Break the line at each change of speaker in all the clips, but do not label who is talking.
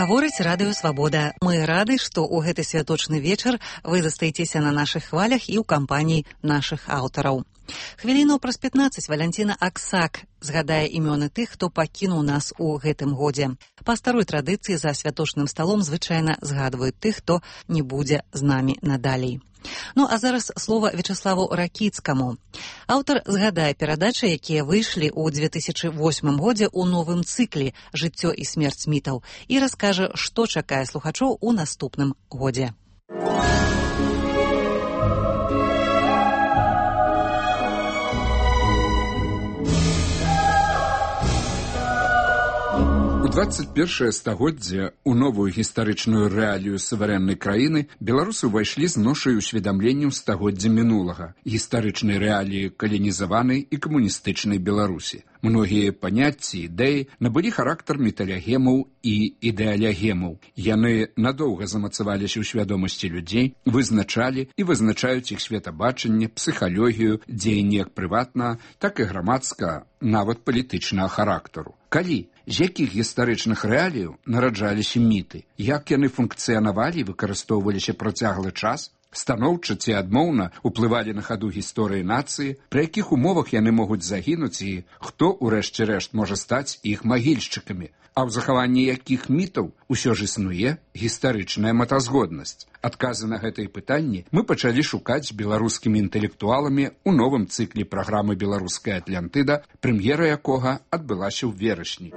Гаворыць радыё Свабода. Мы рады, што ў гэты святочны вечар вы застаецеся на нашых хвалях і ў кампаніі нашых аўтараў. Хвіліну праз 15 Валянціна Аксак згадае імёны тых, хто пакінуў нас у гэтым годзе. Па старой традыцыі за святочным сталом звычайна згадваюць тых, хто не будзе з намі надалей. Ну, а зараз слова Вячаславу Ракіцкаму. Аўтар згадае перадачы, якія выйшлі ў 2008 годзе ў новым цыкле «Жыццё і смерць мітаў» і раскажа, што чакае слухачоў у наступным годзе.
У 21 стагоддзе у новую гістарычную рэалію суверэннай краіны беларусы ўвайшлі з ношай усведамленняў стагоддзя мінулага, гістарычнай рэаліі каланізаванай і камуністычнай Беларусі. Многія паняцці, ідэі набылі характар металягемаў і ідэалягемаў. Яны надоўга замацаваліся ў свядомасці людзей, вызначалі і вызначаюць іх светабачанне, псіхалогію, дзеянні як прыватнага, так і грамадскага, нават палітычнага характару. Калі, з якіх гістарычных рэаліяў нараджаліся міты, як яны функцыянавалі і выкарыстоўваліся працяглы час, станоўча ці адмоўна ўплывалі на хаду гісторыі нацыі, пры якіх умовах яны могуць загінуць і хто, урэшце рэшт, можа стаць іх магільшчыкамі, а ў захаванні якіх мітаў усё ж існуе гістарычная мэтазгоднасць. Адказы на гэтыя пытанні мы пачалі шукаць беларускімі інтэлектуаламі ў новым цыкле праграмы «Беларуская Атлантыда», прэм'ера якога адбылася ў верасні.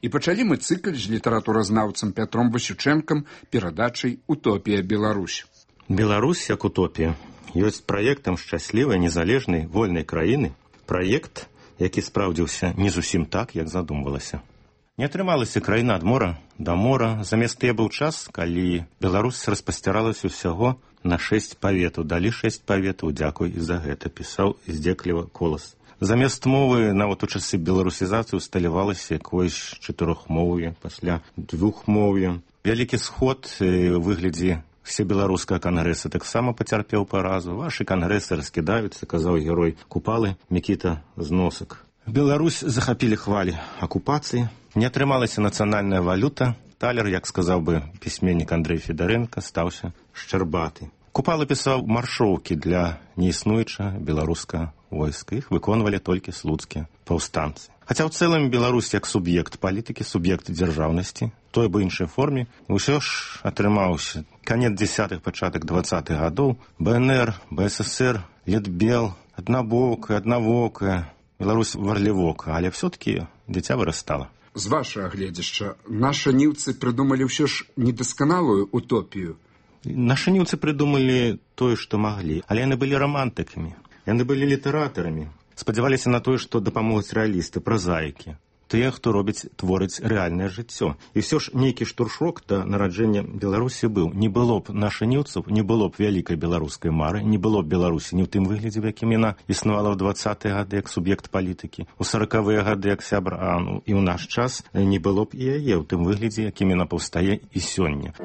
І пачалі мы цыкл з літаратуразнаўцам Пятром Васючэнкам перадачай «Утопія Беларусь».
Беларусь як утопія ёсць праектам шчаслівай, незалежнай, вольнай краіны. Праект, які спраўдзіўся не зусім так, як задумвалася. Не атрымалася краіна ад мора да мора. Замест тыя быў час, калі Беларусь распасціралася ўсяго на 6 паветаў. Далі 6 паветаў, дзякуй і за гэта, пісаў здзекліва Колас. Замест мовы нават у часы беларусізацыі усталявалася якоюсь чатырохмоўе, пасля двухмоўе. Вялікі сход у выглядзе всебеларускага кангрэса таксама пацярпеў паразу. Вашы кангрэсы раскідаюцца, казаў герой Купалы Мікіта Зносак. Беларусь захапілі хвалі акупацыі. Не атрымалася нацыянальная валюта. Талер, як сказаў бы пісьменнік Андрэй Федарэнка, стаўся шчарбаты. Купала пісаў маршоўкі для неіснуючага беларускага войска. Іх выконвалі толькі слуцкія паўстанцы. Хаця ў цэлым Беларусь як суб'ект палітыкі, суб'ект дзяржаўнасці, той бы іншай форме, ўсё ж атрымаўся канец 10-х, пачатак 20-х гадоў. БНР, БССР, Літбел, аднавокая, Беларусь варлівока, але все-таки дзіця вырастала.
З вашага гледзяшча, нашы ніўцы прыдумалі ўсё ж недасканалую утопію.
Нашы ніўцы прыдумалі тое, што маглі, але яны былі рамантыкамі, яны былі літаратарамі, спадзяваліся на тое, што дапамогуць рэалісты, празаікі, тыя, хто творыць рэальнае жыццё. І ўсё ж нейкі штуршок да нараджэння Беларусі быў. Не было б нашы ніўцаў, не было б вялікай беларускай мары, не было б Беларусі ні ў тым выглядзе, в якім яна існавала ў 20-е гады як суб'ект палітыкі, у 40-е гады як сябр АНУ, і ў наш час не было б і яе ў тым выглядзе, якім яна паўстае і сёння.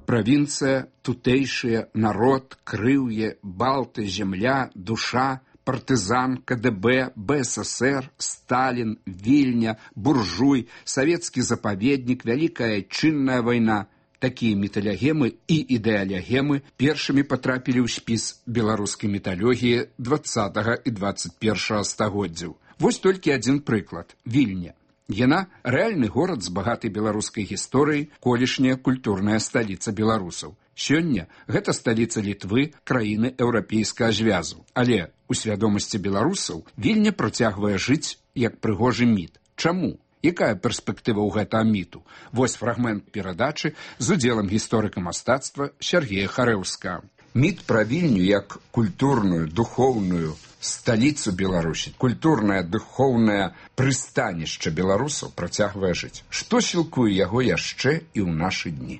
Правінцыя, тутэйшыя, народ, крыўе, балты, земля, душа, партызан, КДБ, БССР, Сталін, Вільня, буржуй, савецкі запаведнік, вялікая айчынная вайна. Такія металягемы і ідэалягемы першымі патрапілі ў спіс беларускай металогіі 20 і 21 стагоддзяў. Вось толькі адзін прыклад – Вільня. Яна – рэальны горад з багатай беларускай гісторыяй, колішняя культурная сталіца беларусаў. Сёння гэта сталіца Літвы, краіны еўрапейскага звязу. Але у свядомасці беларусаў Вільня працягвае жыць як прыгожы міт. Чаму? Якая перспектыва ў гэтага міту? Вось фрагмент перадачы з удзелам гісторыка мастацтва Сергея Харэўскага. Міт пра Вільню як культурную, духоўную сталіцу Беларусі, культурнае, духоўнае прыстанішча беларусаў працягвае жыць. Што сілкуе яго яшчэ і ў нашы дні?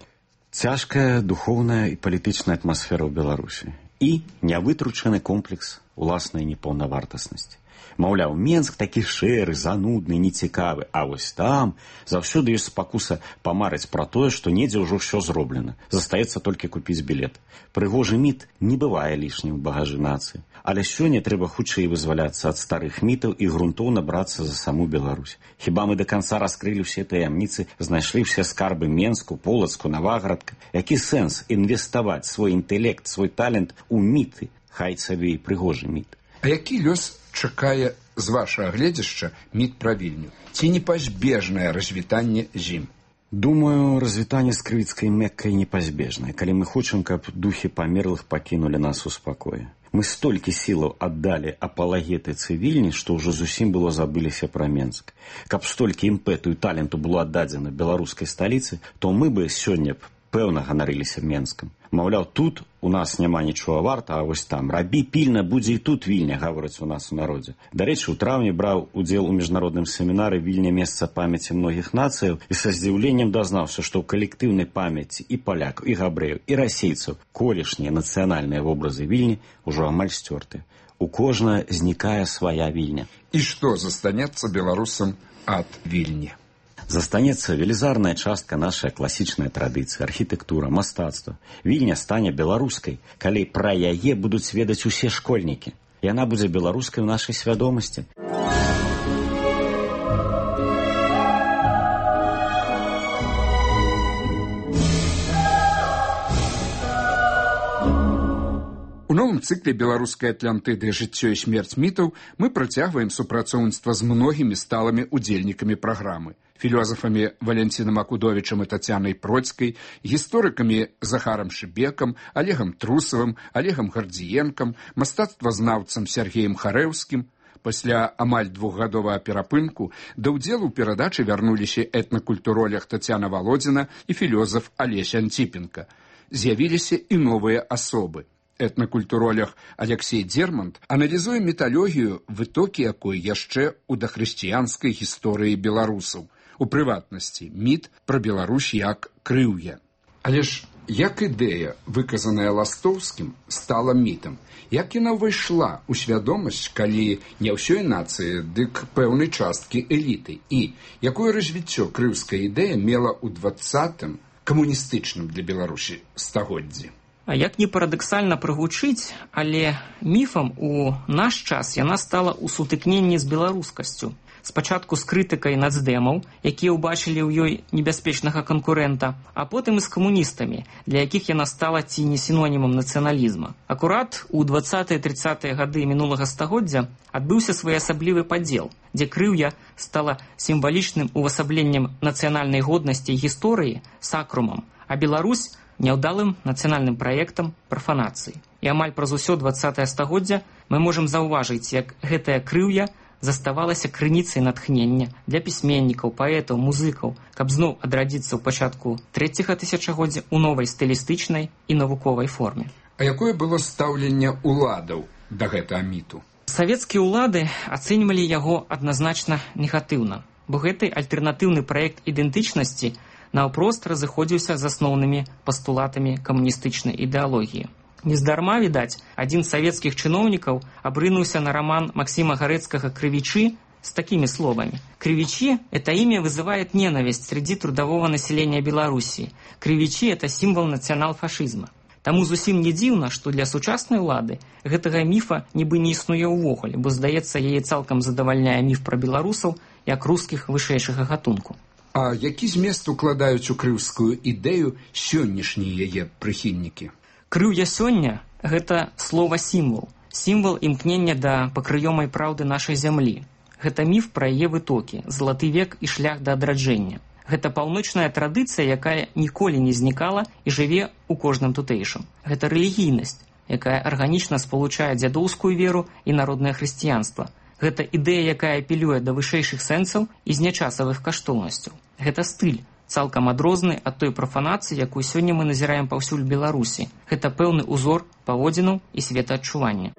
Цяжкая духоўная і палітычная атмасфера ў Беларусі і нявытручаны комплекс уласнай непаўнавартаснасці. Маўляў, Менск такі шэры, занудны, нецікавы, а вось там заўсёды ёсць спакуса памарыць пра тое, што недзе ўжо ўсё зроблена. Застаецца толькі купіць білет. Прыгожы міт не бывае лішнім у багажы нацыі. Але сёння трэба хутчэй вызваляцца ад старых мітаў і грунтоўна брацца за саму Беларусь. Хіба мы да канца раскрылі ўсе таямніцы, знайшлі ўсе скарбы Менску, Полацку, Наваградка? Які сэнс інвеставаць свой інтэлект, свой талент у міты, хай сабе і прыгожы міт?
А які лёс чакае з вашага гледзяшча міт пра Вільню? Ці непазбежнае развітанне з ім?
Думаю, развітанне з крывіцкай Меккай непазбежнае, калі мы хочам, каб духі памерлых пакінулі нас у спакоі. Мы столькі сілаў аддалі апалагетыцы Вільні, што ўжо зусім было забыліся пра Менск. Каб столькі імпэту і таленту было аддадзена беларускай сталіцы, то мы бы сёння б пэўна ганарыліся Менскам. Маўляў, тут у нас няма нічога варта, а вось там рабі пільна, будзе і тут Вільня, гавораць у нас у народзе. Дарэчы, у траўні браў удзел у міжнародным семінары «Вільня – месца памяці многіх нацыяў» і са здзіўленнем дазнаўся, што ў калектыўнай памяці і палякаў, і габрэяў, і расейцаў колішнія нацыянальныя вобразы Вільні ўжо амаль сцёртыя. У кожнага знікае свая Вільня.
І што застанецца беларусам ад Вільні?
Застанецца велізарная частка нашай класічнай традыцыі, архітэктура, мастацтва. Вільня стане беларускай, калі пра яе будуць ведаць усе школьнікі. Яна будзе беларускай у нашай свядомасці.
У новым цыкле беларускай Атлантыды «Жыццё і смерць мітаў» мы працягваем супрацоўніцтва з многімі сталымі удзельнікамі праграмы. Філёзафамі Валянцінам Акудовічам і Тацянай Процькай, гісторыкамі Захарам Шыбекам, Олегам Трусавым, Олегам Гардзіенкам, мастацтвазнаўцам Сергеем Харэўскім. Пасля амаль двухгадовага перапынку да ўдзелу ў перадачы вярнуліся этнакультуролог Тацяна Валодзіна і філёзаф Алесь Антипенко. З'явіліся і новыя асобы. Этнакультуролог Алексей Дзермант аналізуе міталогію, вытокі якой яшчэ ў дахрысціянскай гісторыі беларусаў. У прыватнасці, міт пра Беларусь як крыўя. Але ж як ідэя, выказаная Ластоўскім, стала мітам? Як яна ўвайшла ў свядомасць, калі не ўсёй нацыі, дык пэўнай часткі эліты? І якое развіццё крыўская ідэя мела ў 20-м камуністычным для Беларусі стагоддзі?
А як не парадаксальна прагучыць, але міфам у наш час яна стала ў сутыкненні з беларускасцю. Спачатку з крытыкай нацдэмаў, якія ўбачылі ў ёй небяспечнага канкурэнта, а потым і з камуністамі, для якіх яна стала ці не сінонімам нацыяналізма. Акурат у 20-30-е гады мінулага стагоддзя адбыўся своеасаблівы падзел, дзе крыўя стала сімвалічным увасабленнем нацыянальнай годнасці і гісторыі сакрумам, а Беларусь няўдалым нацыянальным праектам прафанацыі. І амаль праз усё 20-е стагоддзя мы можам заўважыць, як гэтая крыўя заставалася крыніцай натхнення для пісьменнікаў, паэтаў, музыкаў, каб зноў адрадзіцца ў пачатку 3-го тысячагоддзя ў новай стылістычнай і навуковай форме.
А якое было стаўленне ўладаў да гэтага міту?
Савецкія ўлады ацэньвалі яго адназначна негатыўна, бо гэты альтэрнатыўны праект ідэнтычнасці наўпрост разыходзіўся з асноўнымі пастулатамі камуністычнай ідэалогіі. Нездарма, відаць, адзін з савецкіх чыноўнікаў абрынуўся на роман Максима Гарэцкага «Крывичи» с такими словами. «Кривичи – это имя вызывает ненависть среди трудового населения Белоруссии. Кривичи – это символ национал-фашизма». Таму зусім не дзіўна, што для сучаснай улады гэтага міфа нібы не існуе ўвогуле, бо, здаецца, яе цалкам задавальняе міф пра беларусаў як рускіх вышэйшага гатунку.
А які змест укладаюць у крыўскую ідэю сённяшнія яе прыхільнікі?
Крыўя сёння – гэта слова-сімвал. Сімвал імкнення да пакрыёмай праўды нашай зямлі. Гэта міф пра яе вытокі, залаты век і шлях да адраджэння. Гэта паўночная традыцыя, якая ніколі не знікала і жыве ў кожным тутэйшым. Гэта рэлігійнасць, якая арганічна спалучае дзядоўскую веру і народнае хрысціянства. Гэта ідэя, якая апелюе да вышэйшых сэнсаў і знячасавых каштоўнасцяў. Гэта стыль, цалкам адрозны ад той прафанацыі, якую сёння мы назіраем паўсюль Беларусі. Гэта пэўны узор паводзінаў і светаадчування.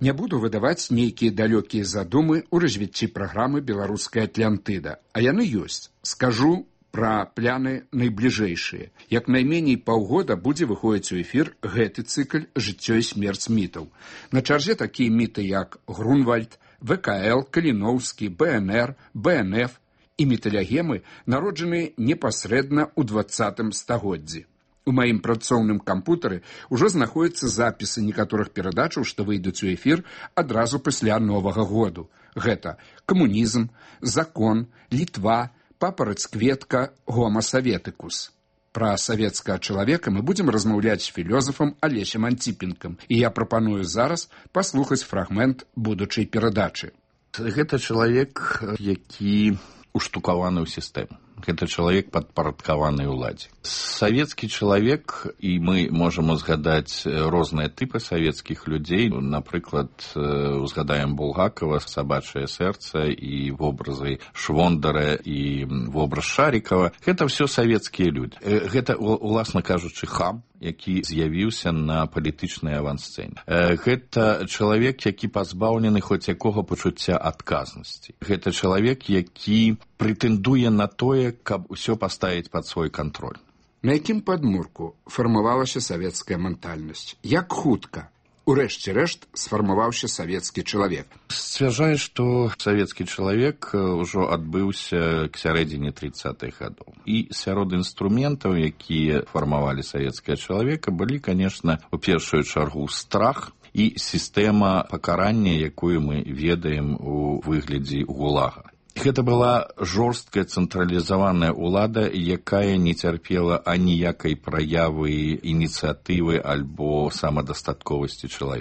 Не буду выдаваць нейкія далёкія задумы ў развіцці праграмы «Беларуская Атлантыда», а яны ёсць. Скажу пра пляны найбліжэйшыя. Як найменей паўгода будзе выходзіць у эфір гэты цыкл «Жыццё і смерць мітаў». На чарзе такія міты, як Грунвальд, ВКЛ, Каліноўскі, БНР, БНФ і міталягемы, народжаныя непасрэдна ў 20 стагоддзі. У маім працоўным кампутары ўжо знаходзяцца запісы некаторых перадачаў, што выйдуць у эфір адразу пасля Новага году. Гэта камунізм, закон, Літва, папараць-кветка, гома саветыкус. Пра савецкага чалавека мы будзем размаўляць з філёзафам Алесем Антипенкам, і я прапаную зараз паслухаць фрагмент будучай перадачы.
Гэта чалавек, які уштукаваны ў сістэму. Гэта чалавек падпарадкаваны ўладзе. Савецкі чалавек, і мы можам узгадаць розныя тыпы савецкіх людзей, напрыклад, узгадаем Булгакова, «Сабачае сэрца» і вобразы Швондара і вобраз Шарікава. Гэта ўсё савецкія людзі. Гэта, уласна кажучы, хам, які з'явіўся на палітычнай авансцэне. Гэта чалавек, які пазбаўлены хоць якога пачуцця адказнасці. Гэта чалавек, які прэтэндуе на тое, каб усё паставіць пад свой кантроль.
На якім падмурку фармавалася савецкая ментальнасць? Як хутка, урэшце рэшт, сфармаваўся савецкі чалавек?
Сцвярджае, што савецкі чалавек ўжо адбыўся к сярэдзіне 30-х гадоў. І сярод інструментаў, якія фармавалі савецкага чалавека, былі, канешне, у першую чаргу страх і сістэма пакарання, якую мы ведаем у выглядзе гулага. Гэта была жорсткая цэнтралізаваная ўлада, якая не цярпела аніякай праявы, ініцыятывы альбо самадастатковасці чалавека.